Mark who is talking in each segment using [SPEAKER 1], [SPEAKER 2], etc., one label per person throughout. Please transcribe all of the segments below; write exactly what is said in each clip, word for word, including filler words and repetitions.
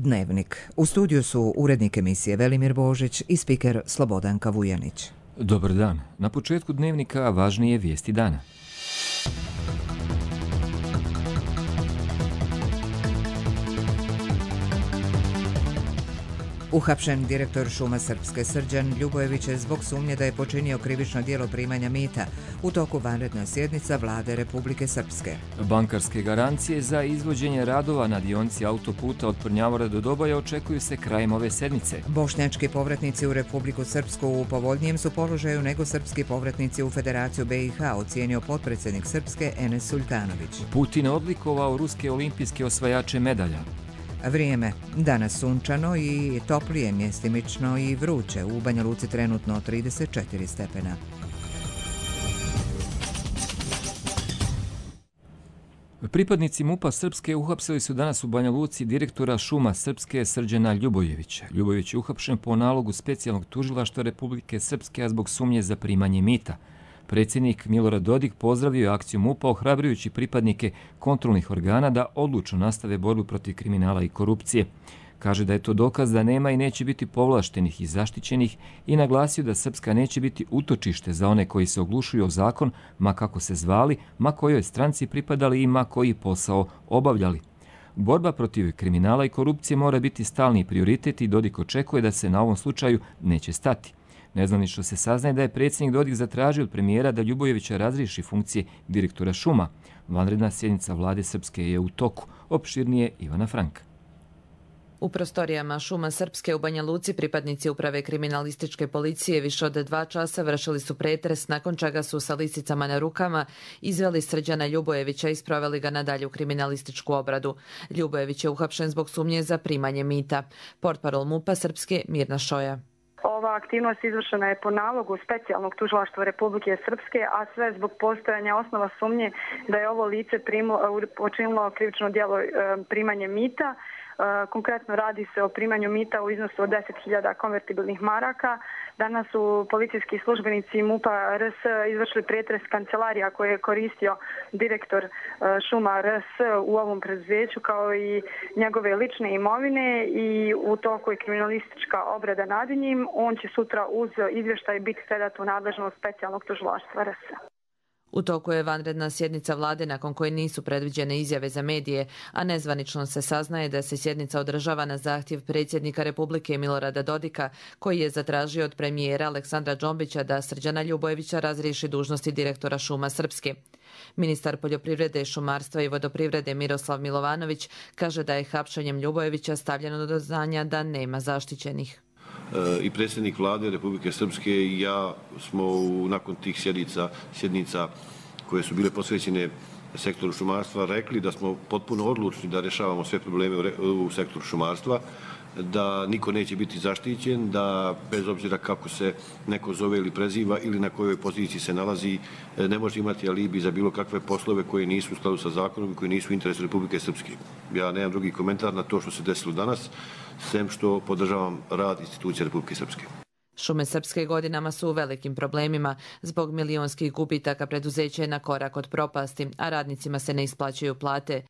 [SPEAKER 1] Dnevnik. U studiju su urednik emisije Velimir Božić i spiker Slobodanka Vujanić.
[SPEAKER 2] Dobar dan. Na početku Dnevnika važnije vijesti dana.
[SPEAKER 1] Uhapšen direktor Šuma Srpske Srđan Ljubojević je zbog sumnje da je počinio krivično djelo primanja mita u toku vanredna sjednica Vlade Republike Srpske.
[SPEAKER 2] Bankarske garancije za izvođenje radova na dionici autoputa od Prnjavora do Doboja očekuju se krajem ove sedmice.
[SPEAKER 1] Bošnjački povratnici u Republiku Srpsku u povoljnijem su položaju nego srpski povratnici u Federaciju B i H, ocijenio potpredsjednik Srpske Enes Sultanović.
[SPEAKER 2] Putin odlikovao ruske olimpijske osvajače medalja.
[SPEAKER 1] Vrijeme. Danas sunčano i toplije, mjestimično i vruće. U Banja Luci trenutno trideset četiri stepena.
[SPEAKER 2] Pripadnici MUP-a Srpske uhapsili su danas u Banja Luci direktora Šuma Srpske Srđana Ljubojevića. Ljubojević je uhapšen po nalogu specijalnog tužilaštva Republike Srpske, a zbog sumnje za primanje mita. Predsjednik Milorad Dodik pozdravio je akciju MUP-a, ohrabrujući pripadnike kontrolnih organa da odlučno nastave borbu protiv kriminala i korupcije. Kaže da je to dokaz da nema i neće biti povlaštenih i zaštićenih i naglasio da Srpska neće biti utočište za one koji se oglušuju o zakon, ma kako se zvali, ma kojoj stranci pripadali i ma koji posao obavljali. Borba protiv kriminala i korupcije mora biti stalni prioritet i Dodik očekuje da se na ovom slučaju neće stati. Nezvanično se saznaje da je predsjednik Dodik zatražio od premijera da Ljubojevića razriješi funkcije direktora Šuma. Vanredna sjednica Vlade Srpske je u toku. Opširnije Ivana Franka.
[SPEAKER 3] U prostorijama Šuma Srpske u Banja Luci pripadnici uprave kriminalističke policije više od dva časa vršili su pretres, nakon čega su sa lisicama na rukama izveli Srđana Ljubojevića i sproveli ga na dalju kriminalističku obradu. Ljubojević je uhapšen zbog sumnje za primanje mita. Portparol MUP-a Srpske Mirna Šoja.
[SPEAKER 4] Ova aktivnost izvršena je po nalogu specijalnog tužilaštva Republike Srpske, a sve zbog postojanja osnova sumnje da je ovo lice počinilo krivično djelo primanje mita. Konkretno radi se o primanju mita u iznosu od deset hiljada konvertibilnih maraka. Danas su policijski službenici MUP-a R S izvršili pretres kancelarija koje je koristio direktor Šuma R S u ovom preduzeću, kao i njegove lične imovine, i u toku je kriminalistička obrada nad njim. On će sutra uz izvještaj biti predat u nadležnost specijalnog tužilaštva R S.
[SPEAKER 3] U toku je vanredna sjednica vlade nakon koje nisu predviđene izjave za medije, a nezvanično se saznaje da se sjednica održava na zahtjev predsjednika Republike Milorada Dodika, koji je zatražio od premijera Aleksandra Džombića da Srđana Ljubojevića razriješi dužnosti direktora Šuma Srpske. Ministar poljoprivrede, šumarstva i vodoprivrede Miroslav Milovanović kaže da je hapšenjem Ljubojevića stavljeno do znanja da nema zaštićenih.
[SPEAKER 5] I predsjednik vlade Republike Srpske i ja smo u, nakon tih sjednica, sjednica koje su bile posvećene sektoru šumarstva rekli da smo potpuno odlučni da rješavamo sve probleme u, u sektoru šumarstva, da niko neće biti zaštićen, da bez obzira kako se neko zove ili preziva ili na kojoj poziciji se nalazi, ne može imati alibi za bilo kakve poslove koje nisu u skladu sa zakonom i koji nisu u interesu Republike Srpske. Ja nemam drugi komentar na to što se desilo danas, sem što podržavam rad institucije Republike Srpske.
[SPEAKER 3] Šume Srpske godinama su u velikim problemima. Zbog milionskih gubitaka preduzeće je na korak od propasti, a radnicima se ne isplaćuju plate.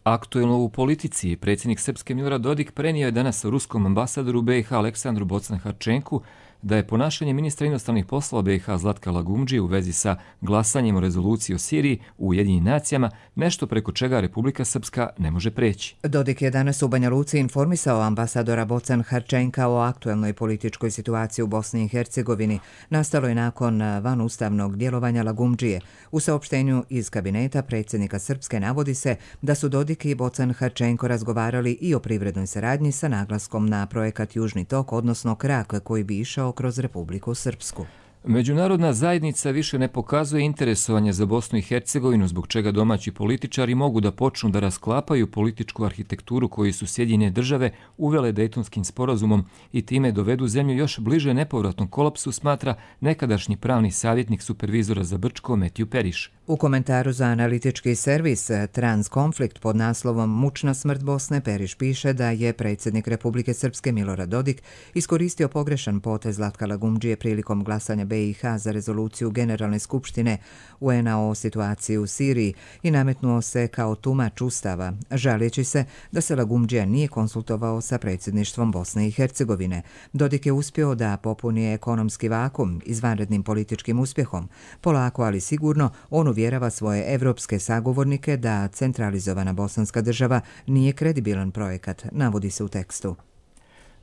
[SPEAKER 2] Aktuelno u politici, predsjednik Srpske Milorad Dodik prenio je danas ruskom ambasadoru B i H Aleksandru Bocan-Harčenku da je ponašanje ministra inostranih poslova B i H Zlatka Lagumdžije u vezi sa glasanjem o rezoluciji o Siriji u Ujedinjenim nacijama nešto preko čega Republika Srpska ne može preći.
[SPEAKER 1] Dodik je danas u Banja Luci informisao ambasadora Bocan-Harčenka o aktuelnoj političkoj situaciji u Bosni i Hercegovini. Nastalo je nakon vanustavnog djelovanja Lagumdžije. U saopštenju iz kabineta predsjednika Srpske navodi se da su Dodik i Bocan-Harčenko razgovarali i o privrednoj saradnji sa naglaskom na projekat Južni tok, odnosno krak koji bi išao kroz Republiku Srpsku.
[SPEAKER 2] Međunarodna zajednica više ne pokazuje interesovanje za Bosnu i Hercegovinu, zbog čega domaći političari mogu da počnu da rasklapaju političku arhitekturu koju su Sjedinjene države uvele Dejtonskim sporazumom i time dovedu zemlju još bliže nepovratnom kolapsu, smatra nekadašnji pravni savjetnik supervizora za Brčko Matthew Periš.
[SPEAKER 1] U komentaru za analitički servis Transkonflikt pod naslovom Mučna smrt Bosne, Periš piše da je predsjednik Republike Srpske Milorad Dodik iskoristio pogrešan potez Zlatka Lagumdžije prilikom glasanja B B i H za rezoluciju Generalne skupštine U N a o situaciji u Siriji i nametnuo se kao tumač ustava, žaleći se da se Lagumdžija nije konsultovao sa predsjedništvom Bosne i Hercegovine. Dodik je uspio da popuni ekonomski vakum izvanrednim političkim uspjehom. Polako, ali sigurno, on uvjerava svoje evropske sagovornike da centralizovana bosanska država nije kredibilan projekat, navodi se u tekstu.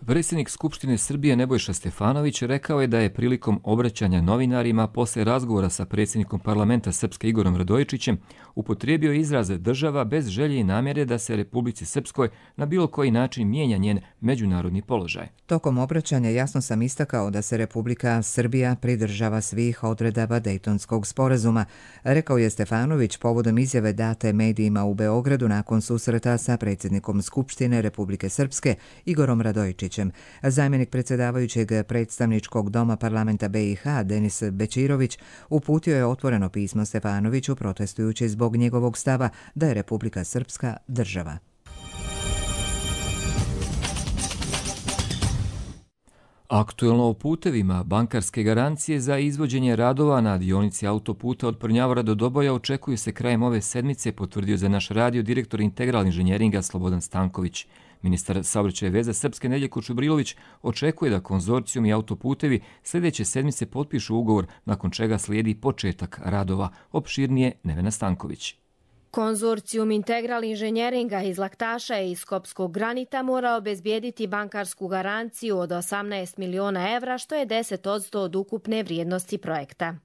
[SPEAKER 2] Predsjednik Skupštine Srbije Nebojša Stefanović rekao je da je prilikom obraćanja novinarima posle razgovora sa predsjednikom parlamenta Srpske Igorom Radojičićem upotrijebio izraze država bez želje i namjere da se Republici Srpskoj na bilo koji način mijenja njen međunarodni položaj.
[SPEAKER 1] Tokom obraćanja jasno sam istakao da se Republika Srbija pridržava svih odredaba Dejtonskog sporazuma, rekao je Stefanović povodom izjave date medijima u Beogradu nakon susreta sa predsjednikom Skupštine Republike Srpske Igorom Radojičićem. Zamjenik predsjedavajućeg predstavničkog doma parlamenta B i H Denis Bećirović uputio je otvoreno pismo Stefanoviću protestujući zbog njegovog stava da je Republika Srpska država.
[SPEAKER 2] Aktuelno o putevima, bankarske garancije za izvođenje radova na dionici autoputa od Prnjavora do Doboja očekuju se krajem ove sedmice, potvrdio za naš radio direktor Integral inženjeringa Slobodan Stanković. Ministar saobraćaja i veza Srpske Nedeljko Čubrilović očekuje da konzorcijum i autoputevi sljedeće sedmice potpišu ugovor, nakon čega slijedi početak radova. Opširnije Nevena Stanković.
[SPEAKER 6] Konzorcijum Integral inženjeringa iz Laktaša i Skopskog granita mora obezbijediti bankarsku garanciju od osamnaest miliona evra, što je deset posto od ukupne vrijednosti projekta.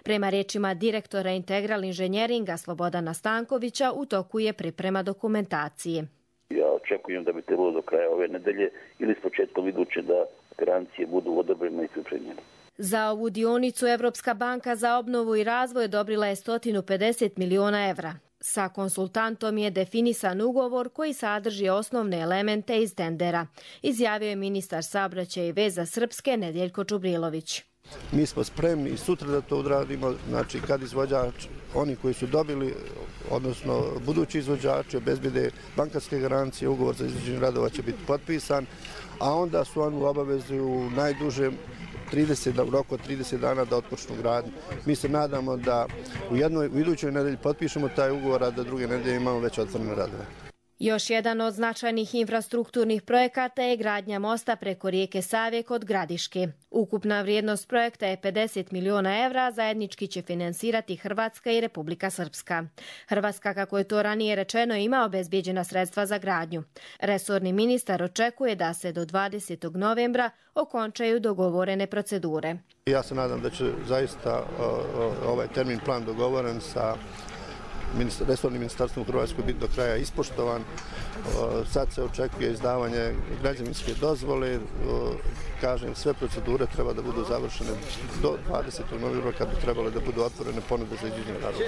[SPEAKER 6] Prema riječima direktora Integral inženjeringa Slobodana Stankovića, u toku je priprema dokumentacije.
[SPEAKER 7] Ja očekujem da bi trebalo do kraja ove nedelje ili s početkom iduće da garancije budu odobrene i pripremljene.
[SPEAKER 6] Za ovu dionicu Evropska banka za obnovu i razvoj odobrila je sto pedeset miliona evra. Sa konsultantom je definisan ugovor koji sadrži osnovne elemente iz tendera, izjavio je ministar saobraćaja i veza Srpske Nedeljko Čubrilović.
[SPEAKER 8] Mi smo spremni i sutra da to odradimo, znači kad izvođač, oni koji su dobili, odnosno budući izvođači, obezbijede bankarske garancije, ugovor za izvođenje radova će biti potpisan, a onda su oni u obavezi u najdužem trideset, u roku od trideset dana da otpočnu gradnju. Mi se nadamo da u jednoj, u idućoj nedelji potpišemo taj ugovor, a da druge nedelje imamo već otvorene radove.
[SPEAKER 6] Još jedan od značajnih infrastrukturnih projekata je gradnja mosta preko rijeke Save kod Gradiške. Ukupna vrijednost projekta je pedeset miliona evra, zajednički će finansirati Hrvatska i Republika Srpska. Hrvatska, kako je to ranije rečeno, ima obezbijeđena sredstva za gradnju. Resorni ministar očekuje da se do dvadesetog novembra okončaju dogovorene procedure.
[SPEAKER 8] Ja se nadam da će zaista ovaj termin plan dogovoren sa resornim ministarstvom u Hrvatskoj biti do kraja ispoštovan. Sad se očekuje izdavanje građevinske dozvole. Kažem, sve procedure treba da budu završene do dvadesetog novembra kad bi trebale da budu otvorene ponude za izvođenje radova.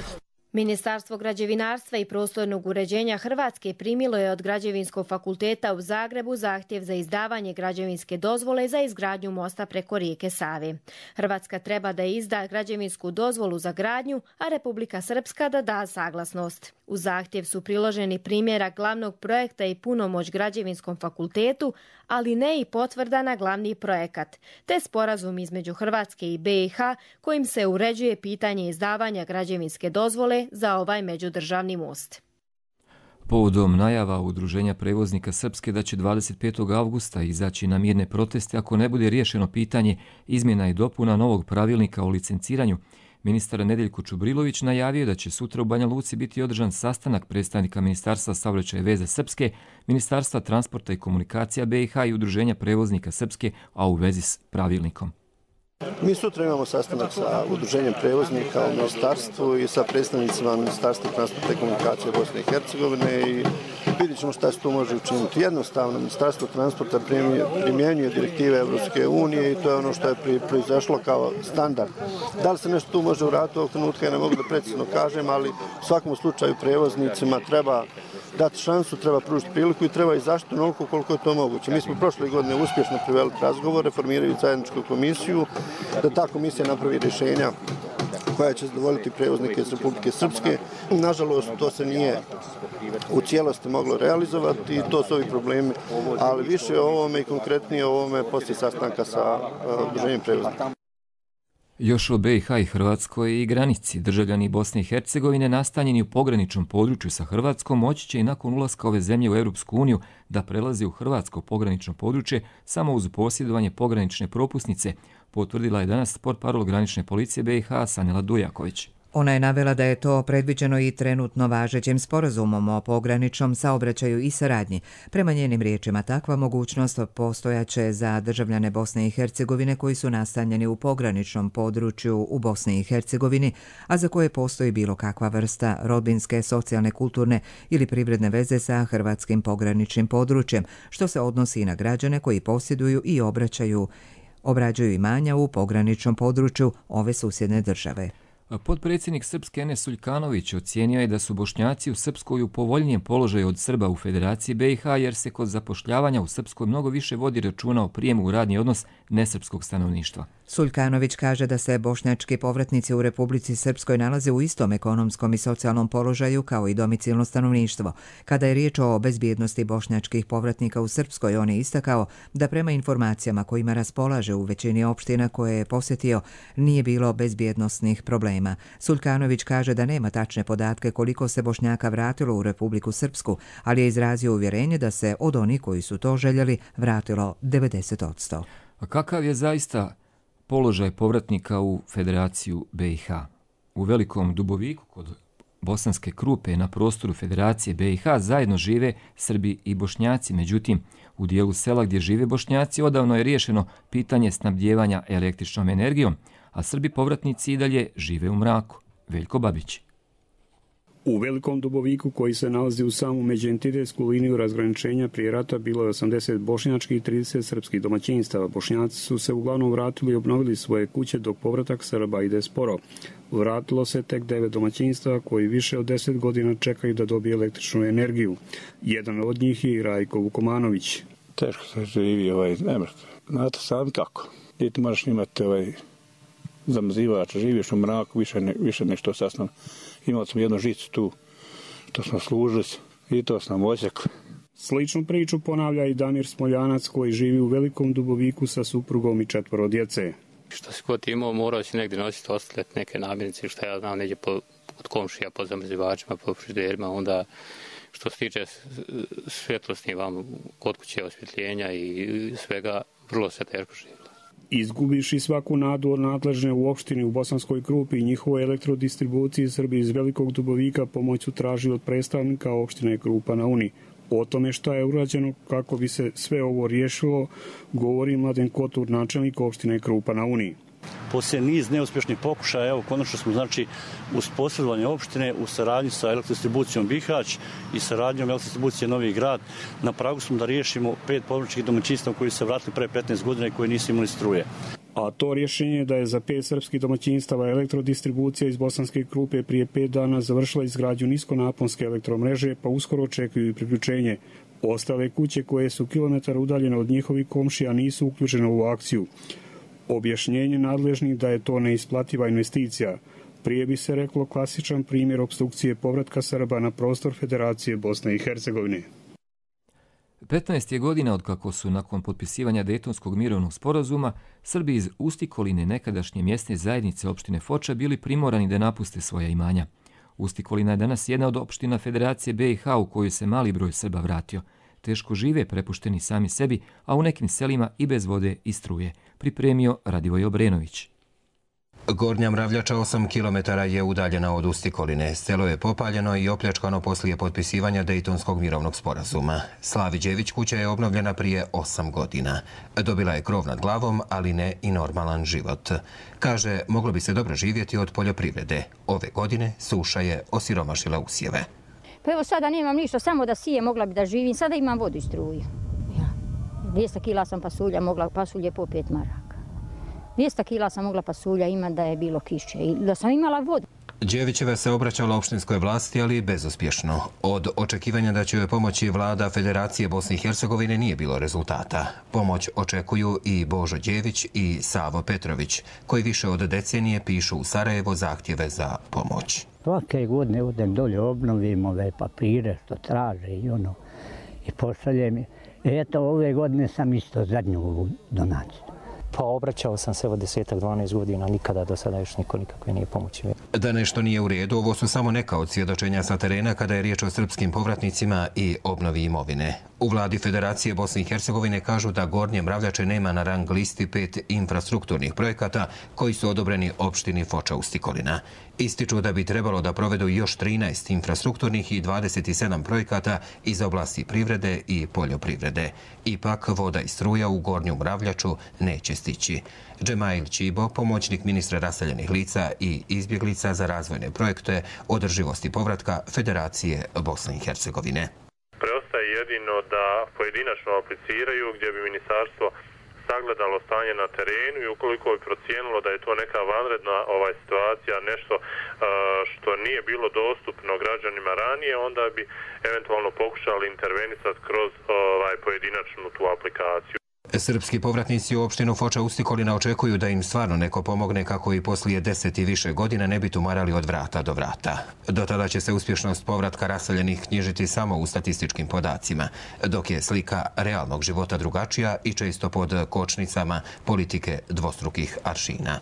[SPEAKER 6] Ministarstvo građevinarstva i prostornog uređenja Hrvatske primilo je od Građevinskog fakulteta u Zagrebu zahtjev za izdavanje građevinske dozvole za izgradnju mosta preko rijeke Save. Hrvatska treba da izda građevinsku dozvolu za gradnju, a Republika Srpska da da saglasnost. U zahtjev su priloženi primjerak glavnog projekta i punomoć Građevinskom fakultetu, ali ne i potvrda na glavni projekat, te sporazum između Hrvatske i B i H kojim se uređuje pitanje izdavanja građevinske dozvole za ovaj međudržavni most.
[SPEAKER 2] Povodom najava Udruženja prevoznika Srpske da će dvadeset petog avgusta izaći na mirne proteste ako ne bude riješeno pitanje izmjena i dopuna novog pravilnika o licenciranju, ministar Nedeljko Čubrilović najavio da će sutra u Banja Luci biti održan sastanak predstavnika Ministarstva saobraćaja i veza Srpske, Ministarstva transporta i komunikacija B i H i Udruženja prevoznika Srpske, a u vezi s pravilnikom.
[SPEAKER 8] Mi sutra imamo sastanak sa Udruženjem prevoznika u ministarstvu i sa predstavnicima Ministarstva transporta i komunikacije Bosne i Hercegovine i vidjet ćemo šta se tu može učiniti. Jednostavno, Ministarstvo transporta primjenjuje direktive Evropske unije i to je ono što je proizašlo kao standard. Da li se nešto tu može uraditi ovog trenutka, ja ne mogu da precizno kažem, ali u svakom slučaju prevoznicima treba dati šansu, treba pružiti priliku i treba i zaštitu onoliko koliko je to moguće. Mi smo prošle godine uspješno priveli razgovore, formiraju zajedničku komisiju, da ta komisija napravi rješenja koja će zadovoljiti prevoznike iz Republike Srpske. Nažalost, to se nije u cijelosti moglo realizovati i to su ovi problemi, ali više o ovome i konkretnije o ovome poslije sastanka sa Udruženjem prevoznika.
[SPEAKER 2] Još o B i H i Hrvatskoj i granici. Državljani Bosne i Hercegovine nastanjeni u pograničnom području sa Hrvatskom moći će i nakon ulaska ove zemlje u Europsku uniju da prelaze u hrvatsko pogranično područje samo uz posjedovanje pogranične propusnice, potvrdila je danas portparol granične policije B i H Sanela Dujaković.
[SPEAKER 1] Ona je navela da je to predviđeno i trenutno važećim sporazumom o pograničnom saobraćaju i saradnji. Prema njenim riječima, takva mogućnost postojaće za državljane Bosne i Hercegovine koji su nastanjeni u pograničnom području u Bosni i Hercegovini, a za koje postoji bilo kakva vrsta rodbinske, socijalne, kulturne ili privredne veze sa hrvatskim pograničnim područjem, što se odnosi i na građane koji posjeduju i obraćaju, obrađuju imanja u pograničnom području ove susjedne države.
[SPEAKER 2] Potpredsjednik Srpske Enes Suljkanović ocijenio je da su Bošnjaci u Srpskoj u povoljnijem položaju od Srba u Federaciji B i H jer se kod zapošljavanja u Srpskoj mnogo više vodi računa o prijemu u radni odnos nesrpskog stanovništva.
[SPEAKER 1] Suljkanović kaže da se bošnjački povratnici u Republici Srpskoj nalaze u istom ekonomskom i socijalnom položaju kao i domicilno stanovništvo. Kada je riječ o bezbjednosti bošnjačkih povratnika u Srpskoj, on je istakao da prema informacijama kojima raspolaže u većini opština koje je posjetio nije bilo bezbjednosnih problema. Suljkanović kaže da nema tačne podatke koliko se Bošnjaka vratilo u Republiku Srpsku, ali je izrazio uvjerenje da se od onih koji su to željeli vratilo devedeset posto.
[SPEAKER 2] A kakav je zaista položaj povratnika u Federaciju B i H? U Velikom Duboviku kod Bosanske Krupe na prostoru Federacije B i H zajedno žive Srbi i Bošnjaci. Međutim, u dijelu sela gdje žive Bošnjaci odavno je riješeno pitanje snabdijevanja električnom energijom, a Srbi povratnici i dalje žive u mraku. Veljko Babić.
[SPEAKER 9] U Velikom Duboviku, koji se nalazi u samu međuentitetsku liniju razgraničenja, prije rata bilo je osamdeset bošnjačkih i trideset srpskih domaćinstava. Bošnjaci su se uglavnom vratili i obnovili svoje kuće, dok povratak Srba ide sporo. Vratilo se tek devet domaćinstava koji više od deset godina čekaju da dobije električnu energiju. Jedan od njih je Rajko Vukomanović.
[SPEAKER 10] Teško se živi, ovaj, ne možete. Znate sami kako. I ti moraš imati ovaj zamrzivač, živiš u mraku, više, ne, više nešto sasno. Imali smo jednu žicu tu, što smo služili i to smo nam osjekli.
[SPEAKER 9] Sličnu priču ponavlja i Damir Smoljanac koji živi u Velikom Duboviku sa suprugom i četvoro djece.
[SPEAKER 11] Što si god imao, morao si negdje nositi ostale neke namirnice, što ja znam, negdje po, od komšija, po zamrzivačima, po frižiderima, onda što se tiče svjetlosti vam kod kuće, osvjetljenja i svega, vrlo se teško živjelo.
[SPEAKER 9] Izgubiš i svaku nadu od nadležne u opštini u Bosanskoj Krupi i njihovoj elektrodistribuciji Srbi iz Velikog Dubovika pomoć su tražili od predstavnika opštine Krupa na Uni. O tome šta je urađeno kako bi se sve ovo riješilo, govori Mladen Kotur, načelnik opštine Krupa na Uni.
[SPEAKER 12] Poslije niz neuspješnih pokušaja, evo konačno smo znači uz posredovanje opštine u saradnji sa elektrodistribucijom Bihać i saradnjom elektrodistribucije Novi Grad na pragu smo da riješimo pet povratničkih domaćinstava koji se vratili pre petnaest godina i koji nisu imali struje.
[SPEAKER 9] A to rješenje je da je za pet srpskih domaćinstava elektrodistribucija iz Bosanske Krupe prije pet dana završila izgradnju niskonaponske elektromreže, pa uskoro očekuju i priključenje. Ostale kuće koje su kilometar udaljene od njihovih komšija nisu uključene u akciju. Objašnjenje nadležnih da je to neisplativa investicija. Prije bi se reklo klasičan primjer opstrukcije povratka Srba na prostor Federacije Bosne i Hercegovine.
[SPEAKER 2] petnaest je godina od kako su nakon potpisivanja Dejtonskog mirovnog sporazuma Srbi iz Ustikoline, nekadašnje mjesne zajednice opštine Foča, bili primorani da napuste svoja imanja. Ustikolina je danas jedna od opština Federacije B i H u koju se mali broj Srba vratio. Teško žive, prepušteni sami sebi, a u nekim selima i bez vode i struje. Pripremio Radivoj Obrenović.
[SPEAKER 13] Gornja Mravljača osam kilometara je udaljena od Ustikoline. Selo je popaljeno i opljačkano poslije potpisivanja Dejtonskog mirovnog sporazuma. Slavi Đević kuća je obnovljena prije osam godina. Dobila je krov nad glavom, ali ne i normalan život. Kaže, moglo bi se dobro živjeti od poljoprivrede. Ove godine suša je osiromašila usjeve.
[SPEAKER 14] Pa evo sada nemam ništa, samo da sije, mogla bi da živim. Sada imam vodu i struju. Ja. dvjesto kila sam pasulja, mogla pasulje po pet maraka. dvjesto kila sam mogla pasulja imati da je bilo kiše i da sam imala vodu.
[SPEAKER 13] Đevićeva se obraćala opštinskoj vlasti, ali bezuspješno. Od očekivanja da će joj pomoći vlada Federacije Bosne i Hercegovine nije bilo rezultata. Pomoć očekuju i Božo Đević i Savo Petrović, koji više od decenije pišu u Sarajevo zahtjeve za pomoć.
[SPEAKER 15] Svake godine odem dolje, obnovim ove papire što traže i ono i pošaljem. Eto, ove godine sam isto zadnju donaciju.
[SPEAKER 16] Pa obraćao sam se od desetak dvanaest godina, nikada do sada još niko nikakve nije pomoći.
[SPEAKER 13] Da nešto nije u redu, ovo su samo neka od svjedočenja sa terena kada je riječ o srpskim povratnicima i obnovi imovine. U vladi Federacije Bosne i Hercegovine kažu da Gornje Mravljače nema na rang listi pet infrastrukturnih projekata koji su odobreni opštini Foča Ustikolina. Ističu da bi trebalo da provedu još trinaest infrastrukturnih i dvadeset sedam projekata iz oblasti privrede i poljoprivrede. Ipak voda i struja u Gornju Mravljaču neće stići. Džemail Čibo, pomoćnik ministra raseljenih lica i izbjeglica za razvojne projekte održivosti povratka Federacije Bosne i Hercegovine.
[SPEAKER 17] Preostaje jedino da pojedinačno apliciraju gdje bi ministarstvo sagledalo stanje na terenu i ukoliko bi procijenilo da je to neka vanredna ovaj situacija, nešto uh, što nije bilo dostupno građanima ranije, onda bi eventualno pokušali intervenisati kroz ovaj pojedinačnu tu aplikaciju.
[SPEAKER 13] Srpski povratnici u opštinu Foča Ustikolina očekuju da im stvarno neko pomogne kako i poslije deset i više godina ne bi tumarali od vrata do vrata. Do tada će se uspješnost povratka raseljenih knjižiti samo u statističkim podacima, dok je slika realnog života drugačija i često pod kočnicama politike dvostrukih aršina.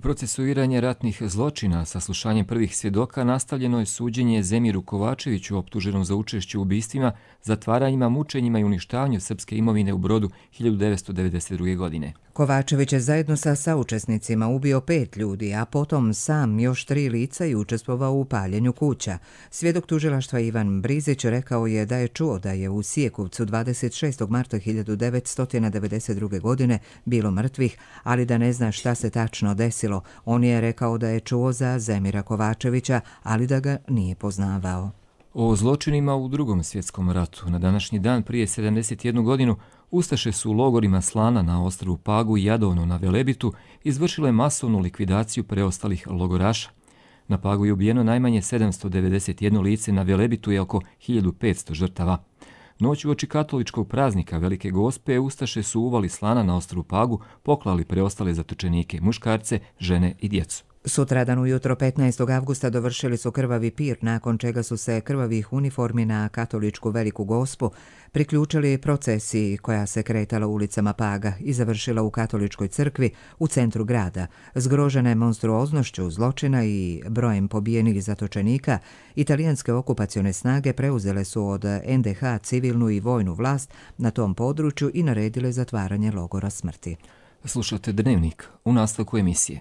[SPEAKER 2] Procesuiranje ratnih zločina sa slušanjem prvih svjedoka nastavljeno je suđenje Zemiru Kovačeviću optuženom za učešće u ubistvima, zatvaranjima, mučenjima i uništavanju srpske imovine u Brodu hiljadu devetsto devedeset druge. godine.
[SPEAKER 1] Kovačević je zajedno sa saučesnicima ubio pet ljudi, a potom sam još tri lica i učestvovao u paljenju kuća. Svjedok tužilaštva Ivan Brizić rekao je da je čuo da je u Sijekovcu dvadeset šestog marta hiljadu devetsto devedeset druge. godine bilo mrtvih, ali da ne zna šta se tačno desilo. On je rekao da je čuo za Zemira Kovačevića, ali da ga nije poznavao.
[SPEAKER 2] O zločinima u Drugom svjetskom ratu na današnji dan prije sedamdeset jednu godinu Ustaše su u logorima Slana na ostrvu Pagu i Jadovno na Velebitu izvršile masovnu likvidaciju preostalih logoraša. Na Pagu je ubijeno najmanje sedamsto devedeset jedno lice, na Velebitu je oko hiljadu petsto žrtava. Noć uoči katoličkog praznika Velike Gospe Ustaše su uvali Slana na ostrvu Pagu, poklali preostale zatočenike, muškarce, žene i djecu.
[SPEAKER 1] Sutradan ujutro petnaestog avgusta dovršili su krvavi pir, nakon čega su se krvavih uniformi na katoličku Veliku Gospu priključili procesiji koja se kretala ulicama Paga i završila u katoličkoj crkvi u centru grada. Zgrožene monstruoznošću zločina i brojem pobijenih zatočenika, italijanske okupacione snage preuzele su od en de ha civilnu i vojnu vlast na tom području i naredile zatvaranje logora smrti.
[SPEAKER 2] Slušate Dnevnik u nastavku emisije.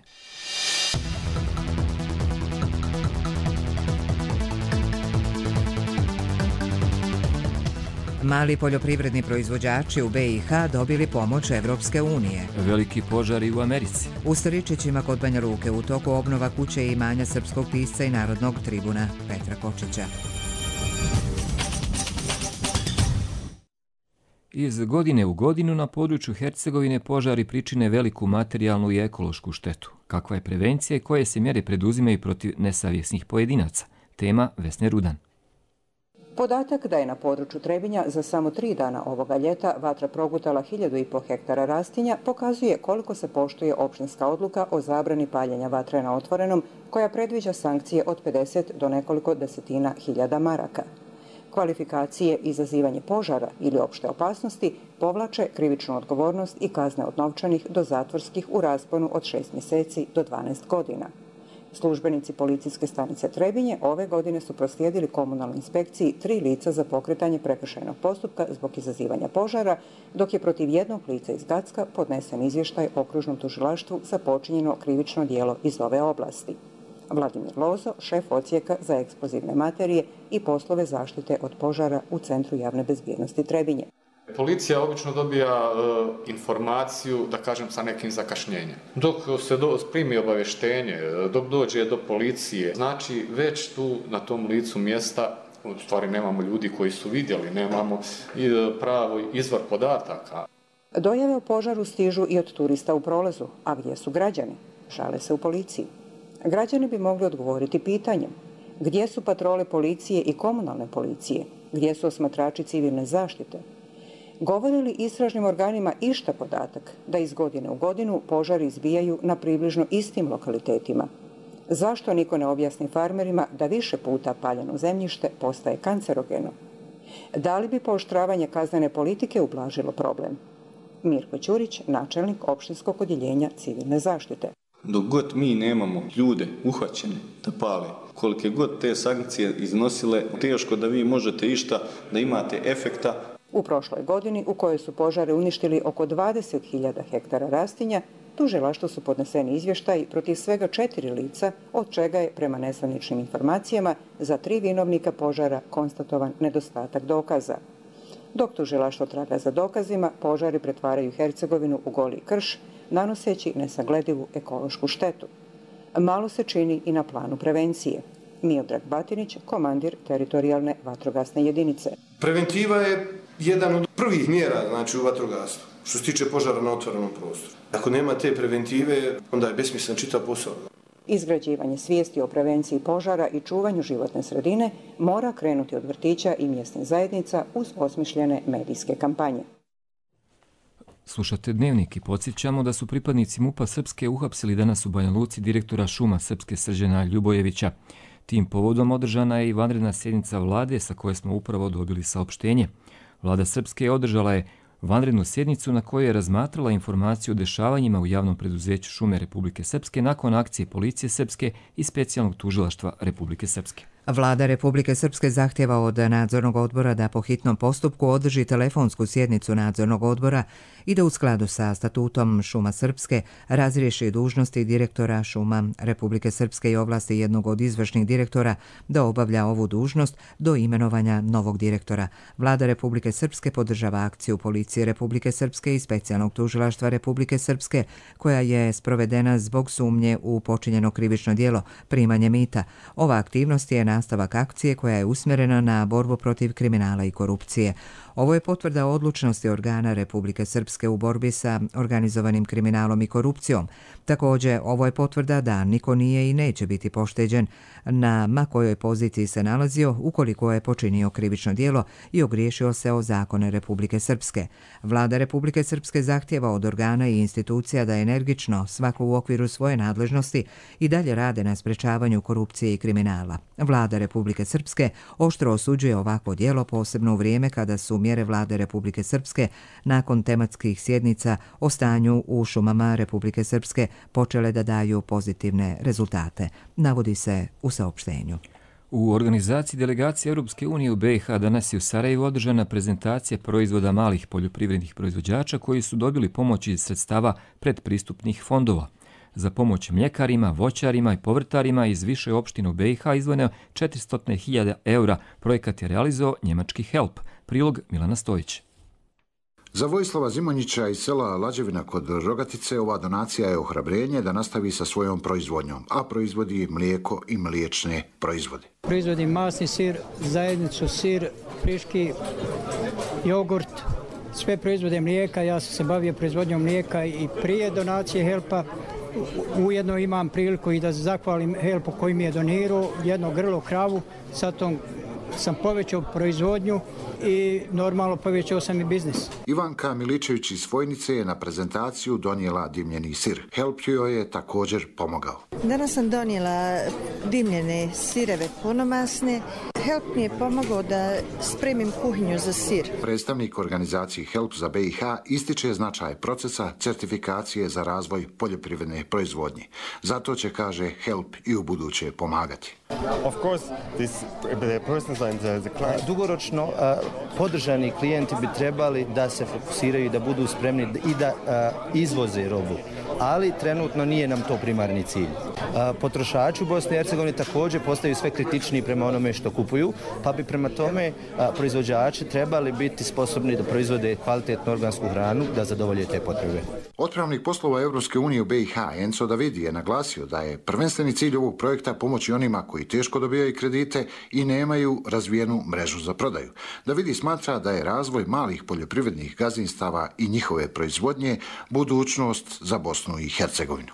[SPEAKER 1] Mali poljoprivredni proizvođači u be i ha dobili pomoć Evropske unije.
[SPEAKER 2] Veliki požari u Americi.
[SPEAKER 1] U Staričićima kod Banja Luke u toku obnova kuće i imanja srpskog pisca i narodnog tribuna Petra Kočića.
[SPEAKER 2] Iz godine u godinu na području Hercegovine požari pričine veliku materijalnu i ekološku štetu. Kakva je prevencija i koje se mjere preduzimaju protiv nesavjesnih pojedinaca? Tema Vesne Rudan.
[SPEAKER 18] Podatak da je na području Trebinja za samo tri dana ovoga ljeta vatra progutala hiljadu i po hektara rastinja pokazuje koliko se poštuje opštinska odluka o zabrani paljenja vatre na otvorenom koja predviđa sankcije od pedeset do nekoliko desetina hiljada maraka. Kvalifikacije izazivanje požara ili opšte opasnosti povlače krivičnu odgovornost i kazne od novčanih do zatvorskih u rasponu od šest mjeseci do dvanaest godina. Službenici policijske stanice Trebinje ove godine su proslijedili komunalnoj inspekciji tri lica za pokretanje prekršajnog postupka zbog izazivanja požara, dok je protiv jednog lica iz Gacka podnesen izvještaj okružnom tužilaštvu za počinjeno krivično djelo iz ove oblasti. Vladimir Lozo, šef odsjeka za eksplozivne materije i poslove zaštite od požara u Centru javne bezbjednosti Trebinje.
[SPEAKER 19] Policija obično dobija e, informaciju, da kažem, sa nekim zakašnjenjem. Dok se do, primi obavještenje, dok dođe do policije, znači već tu na tom licu mjesta, u stvari nemamo ljudi koji su vidjeli, nemamo pravo izvor podataka.
[SPEAKER 18] Dojave o požaru stižu i od turista u prolazu, a gdje su građani? Žale se u policiji. Građani bi mogli odgovoriti pitanjem: gdje su patrole policije i komunalne policije? Gdje su osmatrači civilne zaštite? Govori li istražnim organima išta podatak da iz godine u godinu požari izbijaju na približno istim lokalitetima? Zašto niko ne objasni farmerima da više puta paljeno zemljište postaje kancerogeno? Da li bi pooštravanje kaznene politike ublažilo problem? Mirko Ćurić, načelnik opštinskog odjeljenja civilne zaštite.
[SPEAKER 20] Dok god mi nemamo ljude uhvaćene da pale, kolike god te sankcije iznosile, teško da vi možete išta, da imate efekta.
[SPEAKER 18] U prošloj godini, u kojoj su požari uništili oko dvadeset hiljada hektara rastinja, tužilaštvu su podneseni izvještaji protiv svega četiri lica, od čega je, prema nezvaničnim informacijama, za tri vinovnika požara konstatovan nedostatak dokaza. Dok tužilaštvo traga za dokazima, požari pretvaraju Hercegovinu u goli krš, nanoseći nesagledivu ekološku štetu. Malo se čini i na planu prevencije. Miodrag Batinić, komandir teritorijalne vatrogasne jedinice.
[SPEAKER 21] Preventiva je jedan od prvih mjera, znači, u vatrogasstvu, što se tiče požara na otvorenom prostoru. Ako nema te preventive, onda je besmislen čitav posao.
[SPEAKER 18] Izgrađivanje svijesti o prevenciji požara i čuvanju životne sredine mora krenuti od vrtića i mjesnih zajednica uz osmišljene medijske kampanje.
[SPEAKER 2] Slušate Dnevnik i podsjećamo da su pripadnici MUP-a Srpske uhapsili danas u Banja Luci direktora šuma Srpske Srđana Ljubojevića. Tim povodom održana je i vanredna sjednica vlade sa koje smo upravo dobili saopštenje. Vlada Srpske održala je vanrednu sjednicu na kojoj je razmatrala informaciju o dešavanjima u javnom preduzeću Šume Republike Srpske nakon akcije Policije Srpske i specijalnog tužilaštva Republike Srpske.
[SPEAKER 1] Vlada Republike Srpske zahtjeva od nadzornog odbora da po hitnom postupku održi telefonsku sjednicu nadzornog odbora i da u skladu sa statutom Šuma Srpske razriješi dužnosti direktora Šuma Republike Srpske i ovlasti jednog od izvršnih direktora da obavlja ovu dužnost do imenovanja novog direktora. Vlada Republike Srpske podržava akciju Policije Republike Srpske i specijalnog tužilaštva Republike Srpske koja je sprovedena zbog sumnje u počinjeno krivično djelo primanje mita. Ova aktivnost je nastavak akcije koja je usmjerena na borbu protiv kriminala i korupcije. Ovo je potvrda odlučnosti organa Republike Srpske u borbi sa organizovanim kriminalom i korupcijom. Također, ovo je potvrda da niko nije i neće biti pošteđen na ma kojoj poziciji se nalazio ukoliko je počinio krivično djelo i ogriješio se o zakone Republike Srpske. Vlada Republike Srpske zahtjeva od organa i institucija da energično, svako u okviru svoje nadležnosti, i dalje rade na sprečavanju korupcije i kriminala. Vlada Republike Srpske oštro osuđuje ovakvo djelo, posebno u vrijeme kada su mjere Vlade Republike Srpske nakon tematskih sjednica o stanju u šumama Republike Srpske počele da daju pozitivne rezultate, navodi se u saopštenju.
[SPEAKER 2] U organizaciji delegacije Europske unije u B i H danas je u Sarajevu održana prezentacija proizvoda malih poljoprivrednih proizvođača koji su dobili pomoć iz sredstava predpristupnih fondova. Za pomoć mljekarima, voćarima i povrtarima iz više opština u B i H izdvojeno četiristo hiljada eura. Projekat je realizovao njemački Help. Prilog Milana Stojić.
[SPEAKER 22] Za Vojislava Zimonjića iz sela Lađevina kod Rogatice ova donacija je ohrabrenje da nastavi sa svojom proizvodnjom, a proizvodi mlijeko i mliječne proizvode.
[SPEAKER 23] Proizvodim masni sir, zajednicu sir, friški, jogurt, sve proizvode mlijeka. Ja sam se bavio proizvodnjom mlijeka i prije donacije Helpa. Ujedno imam priliku i da zahvalim Helpu koji mi je donirao jedno grlo kravu, sa tom sam povećao proizvodnju i normalno povećao sam i biznis.
[SPEAKER 22] Ivanka Miličević iz Vojnice je na prezentaciju donijela dimljeni sir. Help joj je također pomogao.
[SPEAKER 24] Danas sam donijela dimljene sireve punomasne. Help mi je pomogao da spremim kuhinju za sir.
[SPEAKER 22] Predstavnik organizacije Help za B i H ističe značaj procesa certifikacije za razvoj poljoprivredne proizvodnje. Zato će, kaže, Help i u buduće pomagati.
[SPEAKER 25] Dugoročno podržani klijenti bi trebali da se fokusiraju i da budu spremni i da izvoze robu, ali trenutno nije nam to primarni cilj. Potrošači u Bosni i Hercegovini također postaju sve kritičniji prema onome što kupuju, pa bi prema tome proizvođači trebali biti sposobni da proizvode kvalitetnu organsku hranu da zadovolje te potrebe.
[SPEAKER 22] Otpravnik poslova Europske unije u B i H Enzo Davidi je naglasio da je prvenstveni cilj ovog projekta pomoći onima koji teško dobijaju kredite i nemaju razvijenu mrežu za prodaju. Davidi smatra da je razvoj malih poljoprivrednih gazdinstava i njihove proizvodnje budućnost za Bosnu i Hercegovinu.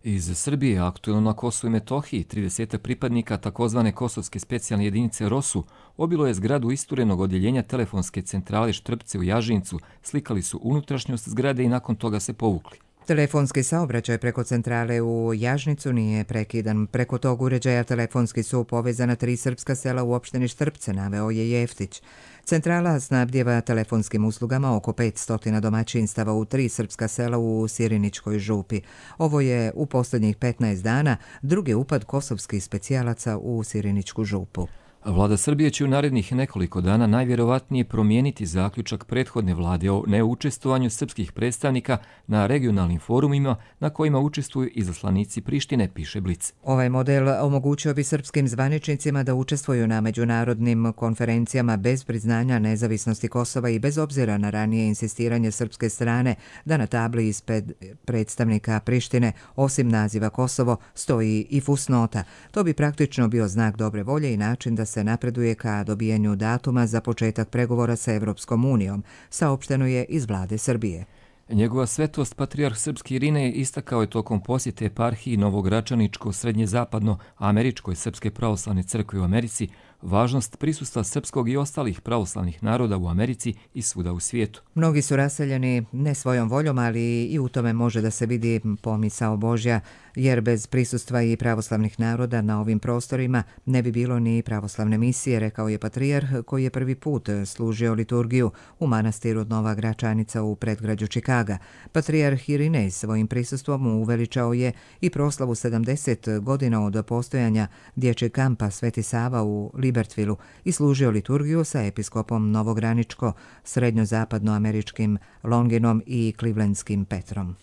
[SPEAKER 2] Iz Srbije, aktuelno na Kosovu i Metohiji, trideset pripadnika takozvane kosovske specijalne jedinice ROSU obilo je zgradu isturenog odjeljenja telefonske centrale Štrpce u Jažincu, slikali su unutrašnjost zgrade i nakon toga se povukli.
[SPEAKER 1] Telefonski saobraćaj preko centrale u Jažnicu nije prekidan. Preko tog uređaja telefonski su povezana tri srpska sela u opštini Štrpce, naveo je Jeftić. Centrala snabdjeva telefonskim uslugama oko petsto domaćinstava u tri srpska sela u Siriničkoj župi. Ovo je u posljednjih petnaest dana drugi upad kosovskih specijalaca u Siriničku župu.
[SPEAKER 2] Vlada Srbije će u narednih nekoliko dana najvjerovatnije promijeniti zaključak prethodne vlade o neučestvovanju srpskih predstavnika na regionalnim forumima na kojima učestvuju izaslanici Prištine, piše Blic.
[SPEAKER 1] Ovaj model omogućio bi srpskim zvaničnicima da učestvuju na međunarodnim konferencijama bez priznanja nezavisnosti Kosova i bez obzira na ranije insistiranje srpske strane da na tabli ispred predstavnika Prištine, osim naziva Kosovo, stoji i fusnota. To bi praktično bio znak dobre volje i način da se napreduje ka dobijanju datuma za početak pregovora sa Evropskom unijom, saopšteno je iz vlade Srbije.
[SPEAKER 2] Njegova svetost patrijarh srpski Irinej istakao je tokom posjete eparhiji Novogračaničko-srednje-zapadno-američkoj Srpske pravoslavne crkve u Americi važnost prisustva srpskog i ostalih pravoslavnih naroda u Americi i svuda u svijetu.
[SPEAKER 1] Mnogi su raseljeni ne svojom voljom, ali i u tome može da se vidi pomisao Božja, jer bez prisustva i pravoslavnih naroda na ovim prostorima ne bi bilo ni pravoslavne misije, rekao je patrijarh koji je prvi put služio liturgiju u manastiru Nova Gračanica u predgrađu Čikaga. Patrijarh Irinej svojim prisustvom uveličao je i proslavu sedamdeset godina od postojanja dječjeg kampa Sveti Sava u Libertvilu i služio liturgiju sa episkopom Novograničko, srednjozapadnoameričkim Longinom i Clevelandskim Petrom.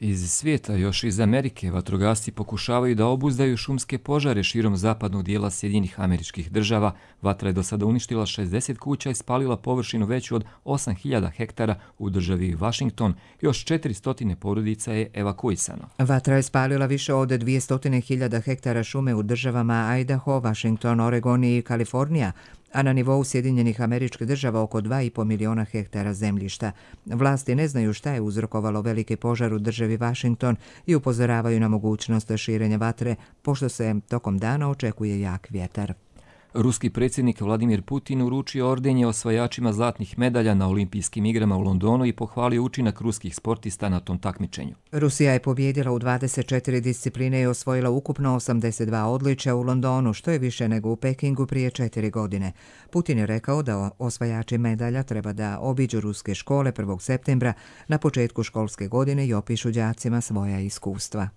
[SPEAKER 2] Iz svijeta, još iz Amerike, vatrogasci pokušavaju da obuzdaju šumske požare širom zapadnog dijela Sjedinjenih Američkih Država. Vatra je do sada uništila šezdeset kuća i spalila površinu veću od osam hiljada hektara u državi Washington. Još četiristo porodica je evakuisano.
[SPEAKER 1] Vatra je spalila više od dvjesto hiljada hektara šume u državama Idaho, Washington, Oregon i Kalifornija, a na nivou Sjedinjenih Američkih Država oko dva i po miliona hektara zemljišta. Vlasti ne znaju šta je uzrokovalo veliki požar u državi Washington i upozoravaju na mogućnost širenja vatre, pošto se tokom dana očekuje jak vjetar.
[SPEAKER 2] Ruski predsjednik Vladimir Putin uručio ordenje osvajačima zlatnih medalja na olimpijskim igrama u Londonu i pohvalio učinak ruskih sportista na tom takmičenju.
[SPEAKER 1] Rusija je pobjedila u dvadeset četiri discipline i osvojila ukupno osamdeset dva odličja u Londonu, što je više nego u Pekingu prije četiri godine. Putin je rekao da osvajači medalja treba da obiđu ruske škole prvog septembra na početku školske godine i opišu đacima svoja iskustva.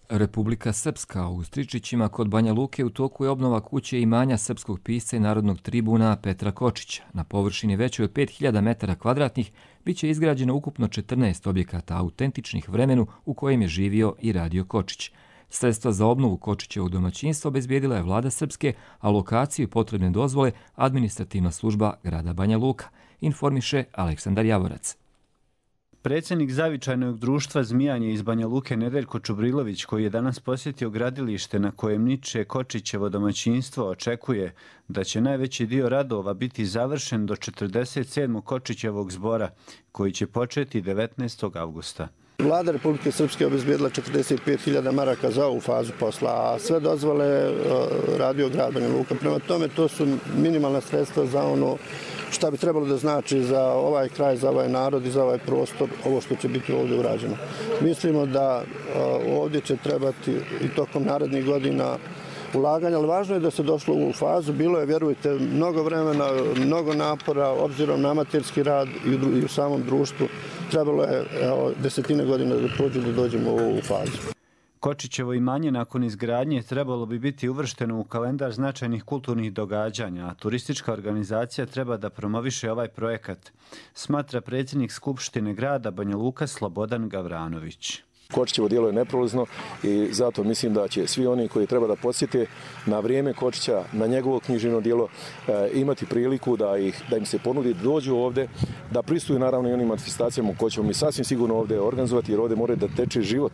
[SPEAKER 2] Republika Srpska u Stričićima kod Banja Luke u toku je obnova kuće i imanja srpskog pisca i narodnog tribuna Petra Kočića. Na površini većoj od pet hiljada metara kvadratnih bit će izgrađeno ukupno četrnaest objekata autentičnih vremenu u kojem je živio i radio Kočić. Sredstva za obnovu Kočićevog domaćinstva obezbijedila je vlada Srpske, a lokaciju i potrebne dozvole administrativna služba grada Banja Luka, informiše Aleksandar Javorac.
[SPEAKER 3] Predsjednik zavičajnog društva Zmijanje iz Banja Luke Nedeljko Čubrilović, koji je danas posjetio gradilište na kojem niče Kočićevo domaćinstvo, očekuje da će najveći dio radova biti završen do četrdeset sedmog Kočićevog zbora, koji će početi devetnaestog avgusta.
[SPEAKER 8] Vlada Republike Srpske obezbijedila četrdeset pet hiljada maraka za ovu fazu posla, a sve dozvole radio grad Banja Luka. Prema tome, to su minimalna sredstva za ono šta bi trebalo da znači za ovaj kraj, za ovaj narod i za ovaj prostor, ovo što će biti ovdje urađeno. Mislimo da ovdje će trebati i tokom narednih godina ulaganja, ali važno je da se došlo u ovu fazu. Bilo je, vjerujte, mnogo vremena, mnogo napora, obzirom na amaterski rad i u samom društvu. Trebalo je evo, desetine godina da prođu da dođemo u ovu fazu.
[SPEAKER 3] Kočićevo imanje nakon izgradnje trebalo bi biti uvršteno u kalendar značajnih kulturnih događanja, a turistička organizacija treba da promoviše ovaj projekat, smatra predsjednik Skupštine grada Banja Luka Slobodan Gavranović.
[SPEAKER 4] Kočićevo djelo je neprolazno i zato mislim da će svi oni koji treba da podsjete na vrijeme Kočića, na njegovo književno djelo, e, imati priliku da, ih, da im se ponudi da dođu ovdje, da pristuju naravno i onim manifestacijama koje ćemo mi sasvim sigurno ovdje organizovati, jer ovdje mora da teče život,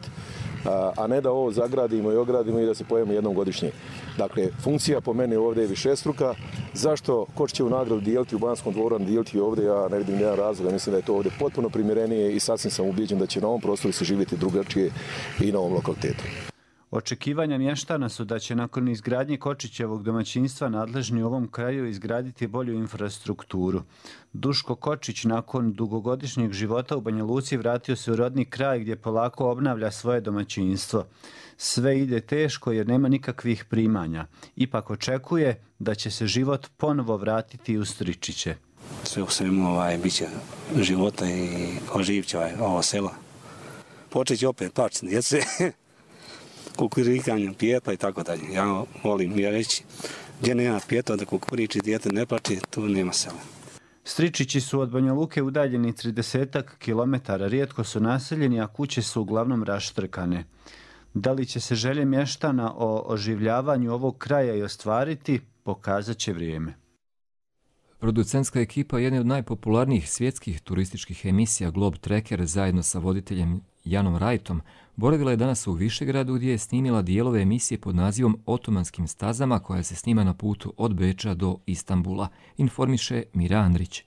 [SPEAKER 4] a, a ne da ovo zagradimo i ogradimo i da se pojavimo jednom godišnje. Dakle, funkcija po meni ovdje je višestruka. Zašto Kočićevu nagradu dijeliti u Banskom dvoru, dijeliti ovdje, ja ne vidim jedan razlog. Mislim da je to ovdje potpuno primjerenije i sasvim sam ubijeđen da će na ovom prostoru se živjeti drugačije i na ovom lokalitetu.
[SPEAKER 3] Očekivanja mještana su da će nakon izgradnje Kočićevog domaćinstva nadležni u ovom kraju izgraditi bolju infrastrukturu. Duško Kočić nakon dugogodišnjeg života u Banja Luci vratio se u rodni kraj gdje polako obnavlja svoje domaćinstvo. Sve ide teško jer nema nikakvih primanja. Ipak očekuje da će se život ponovo vratiti u Stričiće.
[SPEAKER 5] Sve u svemu ovaj, bit će života i oživit će ovaj, ovo selo. Počet će opet plaći djece, kukurikanje, pijeta i tako dalje. Ja volim ja reći, gdje nema pijeta da kukuriči dijete ne plaći, tu nema sela.
[SPEAKER 3] Stričići su od Banja Luke udaljeni tridesetak kilometara, rijetko su naseljeni, a kuće su uglavnom raštrkane. Da li će se želje mještana o oživljavanju ovog kraja i ostvariti, pokazat će vrijeme.
[SPEAKER 2] Producentska ekipa jedne od najpopularnijih svjetskih turističkih emisija Globe Trekker zajedno sa voditeljem Janom Rajtom boravila je danas u Višegradu gdje je snimila dijelove emisije pod nazivom Otomanskim stazama koja se snima na putu od Beča do Istanbula, informiše Mira Andrić.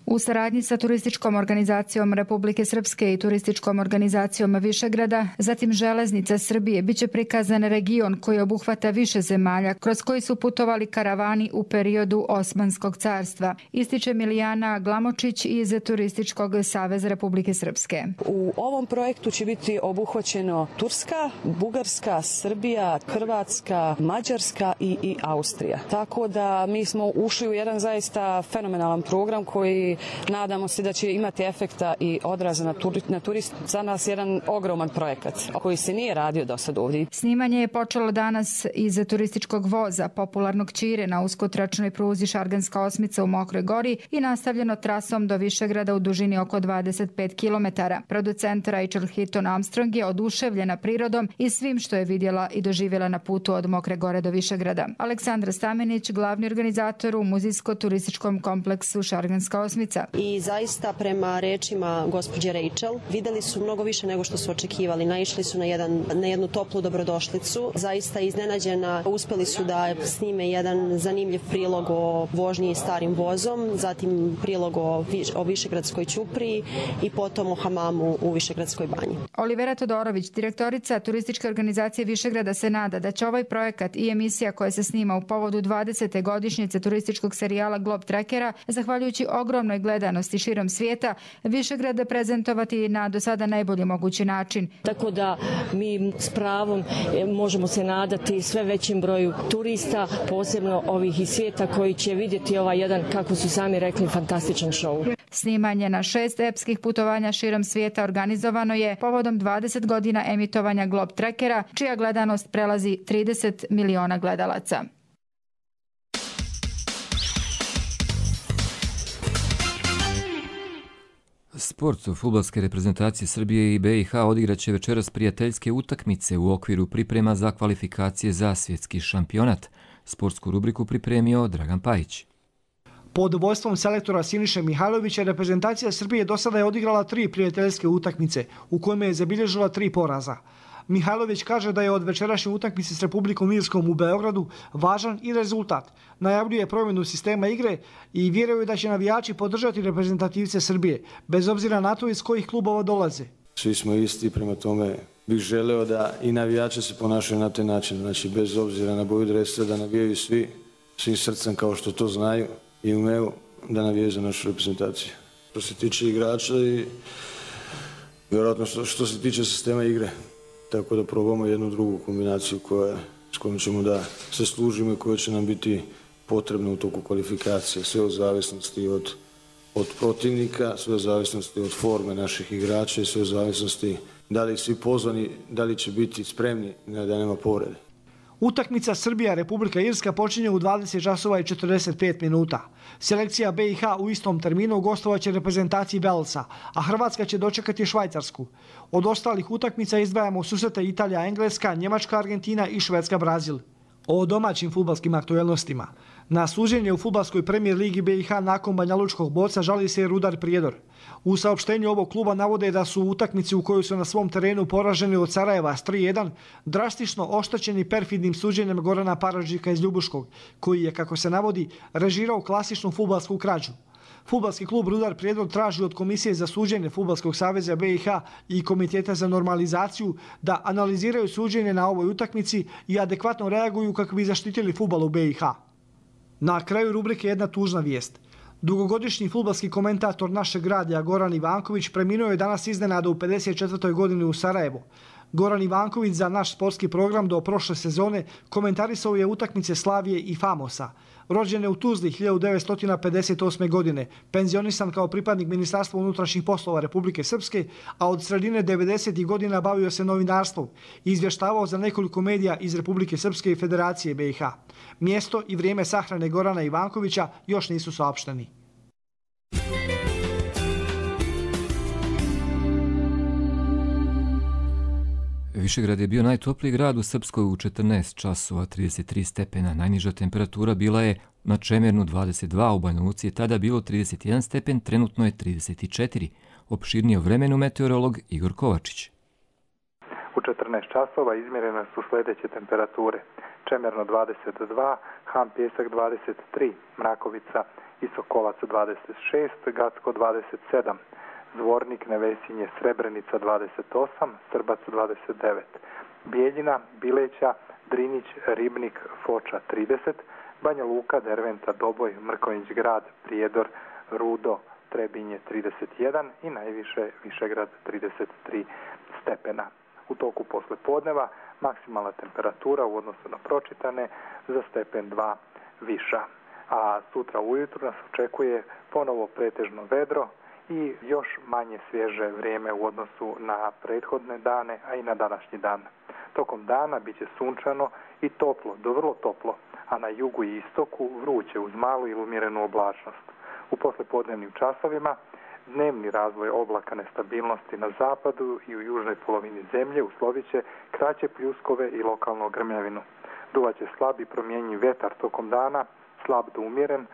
[SPEAKER 6] U saradnji sa Turističkom organizacijom Republike Srpske i Turističkom organizacijom Višegrada, zatim Železnica Srbije, biće prikazan region koji obuhvata više zemalja kroz koji su putovali karavani u periodu Osmanskog carstva, ističe Milijana Glamočić iz Turističkog saveza Republike Srpske.
[SPEAKER 7] U ovom projektu će biti obuhvaćeno Turska, Bugarska, Srbija, Hrvatska, Mađarska i, i Austrija. Tako da mi smo ušli u jedan zaista fenomenalan program koji nadamo se da će imati efekta i odraza na, turi, na turist. Za nas jedan ogroman projekat koji se nije radio do sad ovdje.
[SPEAKER 6] Snimanje je počelo danas iz turističkog voza, popularnog Ćire na uskotračnoj pruzi Šarganska osmica u Mokroj Gori i nastavljeno trasom do Višegrada u dužini oko dvadeset pet kilometara. Producent Rachel Hitton Armstrong je oduševljena prirodom i svim što je vidjela i doživjela na putu od Mokre Gore do Višegrada. Aleksandra Stamenić, glavni organizator u muzijsko-turističkom kompleksu Šarganska osmica.
[SPEAKER 10] I zaista prema rečima gospođe Rachel vidjeli su mnogo više nego što su očekivali. Naišli su na, jedan, na jednu toplu dobrodošlicu. Zaista iznenađena uspjeli su da snime jedan zanimljiv prilog o vožnji starim vozom, zatim prilog o, o Višegradskoj ćupriji i potom o hamamu u Višegradskoj banji.
[SPEAKER 6] Olivera Todorović, direktorica turističke organizacije Višegrada, se nada da će ovaj projekat i emisija koja se snima u povodu dvadesete godišnjice turističkog serijala Globe Trekkera, zahvaljujući ogromnoj gledanosti širom svijeta, Višegrad prezentovati na do sada najbolji mogući način.
[SPEAKER 11] Tako da mi s pravom možemo se nadati sve većim broju turista, posebno ovih iz svijeta koji će vidjeti ovaj jedan, kako su sami rekli, fantastičan show.
[SPEAKER 6] Snimanje na šest epskih putovanja širom svijeta organizovano je povodom dvadeset godina emitovanja Globe Trekkera, čija gledanost prelazi trideset miliona gledalaca.
[SPEAKER 2] Sport fudbalske reprezentacije Srbije i B i H odigraće večeras prijateljske utakmice u okviru priprema za kvalifikacije za svjetski šampionat. Sportsku rubriku pripremio Dragan Pajić.
[SPEAKER 26] Pod vodstvom selektora Siniše Mihajlovića reprezentacija Srbije do sada je odigrala tri prijateljske utakmice u kojima je zabilježila tri poraza. Mihajlović kaže da je od večerašnje utakmice s Republikom Irskom u Beogradu važan i rezultat. Najavljuje promjenu sistema igre i vjeruje da će navijači podržati reprezentativce Srbije, bez obzira na to iz kojih klubova dolaze.
[SPEAKER 27] Svi smo isti, prema tome bih želeo da i navijači se ponašaju na taj način. Znači, bez obzira na boju dresa, da navijaju svi, svim srcem kao što to znaju i umeju da navijaju za našu reprezentaciju. Što se tiče igrača i vjerojatno što, što se tiče sistema igre. Tako da probamo jednu drugu kombinaciju koja, s kojom ćemo da se služimo i koja će nam biti potrebna u toku kvalifikacije. Sve u zavisnosti od, od protivnika, sve u zavisnosti od forme naših igrača i sve u zavisnosti da li svi pozvani, da li će biti spremni da nema povrede.
[SPEAKER 26] Utakmica Srbija-Republika Irska počinje u dvadeset časova i četrdeset pet minuta. Selekcija B i H u istom terminu gostovaće reprezentaciji Velsa, a Hrvatska će dočekati Švajcarsku. Od ostalih utakmica izdvajamo susrete Italija-Engleska, Njemačka-Argentina i Švedska-Brazil. O domaćim fudbalskim aktuelnostima. Na suđenje u fudbalskoj premijer ligi B i H nakon banjalučkog boca žali se Rudar Prijedor. U saopštenju ovog kluba navode da su u utakmici u kojoj su na svom terenu poraženi od Sarajeva s tri jedan drastično oštećeni perfidnim suđenjem Gorana Paradžika iz Ljubuškog, koji je, kako se navodi, režirao klasičnu fudbalsku krađu. Fudbalski klub Rudar Prijedor traži od Komisije za suđenje Fudbalskog saveza B i H i Komiteta za normalizaciju da analiziraju suđenje na ovoj utakmici i adekvatno reaguju kako bi zaštitili fudbal u B i H. Na kraju rubrike jedna tužna vijest. Dugogodišnji fudbalski komentator našeg radija Goran Ivanković preminuo je danas iznenada u pedeset četvrtoj godini u Sarajevu. Goran Ivanković za naš sportski program do prošle sezone komentarisao je utakmice Slavije i Famosa. Rođen je u Tuzli hiljadu devetsto pedeset osme. godine, penzionisan kao pripadnik Ministarstva unutrašnjih poslova Republike Srpske, a od sredine devedesetih godina bavio se novinarstvom i izvještavao za nekoliko medija iz Republike Srpske i Federacije B i H. Mjesto i vrijeme sahrane Gorana Ivankovića još nisu saopšteni.
[SPEAKER 2] Višegrad je bio najtopliji grad u Srpskoj u četrnaest časova trideset tri stepena. Najniža temperatura bila je na Čemernu dvadeset dva, u Banja Luci je tada bilo trideset jedan stepen, trenutno je trideset četiri. Opširnije o vremenu meteorolog Igor Kovačić.
[SPEAKER 9] U četrnaest časova izmjerene su sljedeće temperature. Čemerno dvadeset dva, Han Pjesak dvadeset tri, Mrakovica i Sokolac dvadeset šest, Gacko dvadeset sedam. Zvornik, Nevesinje, Srebrenica dvadeset osam, Srbac dvadeset devet, Bijeljina, Bileća, Drinić, Ribnik, Foča trideset, Banja Luka, Derventa, Doboj, Mrkonjić Grad, Prijedor, Rudo, Trebinje trideset jedan i najviše Višegrad trideset tri stepena. U toku poslepodneva maksimalna temperatura u odnosu na pročitane za stepen dva viša. A sutra ujutru nas očekuje ponovo pretežno vedro i još manje svježe vrijeme u odnosu na prethodne dane, a i na današnji dan. Tokom dana bit će sunčano i toplo, do vrlo toplo, a na jugu i istoku vruće uz malu ili umjerenu oblačnost. U poslepodnevnim časovima dnevni razvoj oblaka nestabilnosti na zapadu i u južnoj polovini zemlje uslovit će kraće pljuskove i lokalnu grmljavinu. Duvaće slab i promjenjiv vjetar tokom dana, slab do umjeren,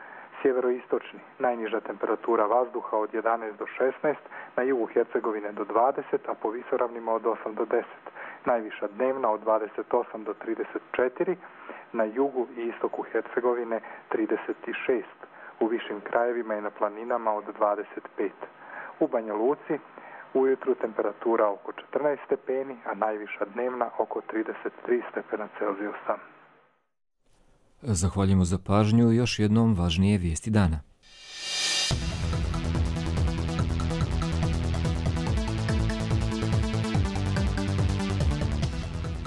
[SPEAKER 9] sjeveroistočni, najniža temperatura vazduha od jedanaest do šesnaest, na jugu Hercegovine do dvadeset, a po visoravnima od osam do deset. Najviša dnevna od dvadeset osam do trideset četiri, na jugu i istoku Hercegovine trideset šest, u višim krajevima i na planinama od dvadeset pet. U Banja Luci ujutru temperatura oko četrnaest stepeni, a najviša dnevna oko trideset tri stepena Celzijusa.
[SPEAKER 2] Zahvaljujemo za pažnju i još jednom važnije vijesti dana.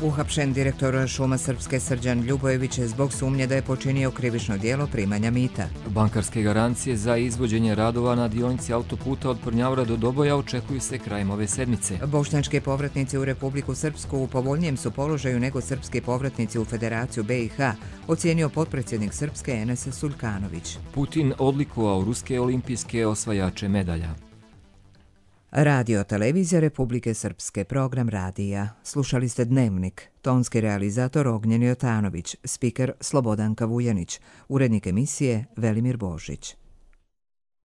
[SPEAKER 1] Uhapšen direktor šuma Srpske Srđan Ljubojević je zbog sumnje da je počinio krivično djelo primanja mita.
[SPEAKER 2] Bankarske garancije za izvođenje radova na dionici autoputa od Prnjavora do Doboja očekuju se krajem ove sedmice.
[SPEAKER 1] Bošnjački povratnici u Republiku Srpsku u povoljnijem su položaju nego srpski povratnici u Federaciju B i H, ocijenio potpredsjednik Srpske Enes Sulkanović.
[SPEAKER 2] Putin odlikovao ruske olimpijske osvajače medalja.
[SPEAKER 1] Radio televizija Republike Srpske, program radija. Slušali ste Dnevnik, tonski realizator Ognjen Jotanović, spiker Slobodanka Vujanić, urednik emisije Velimir Božić.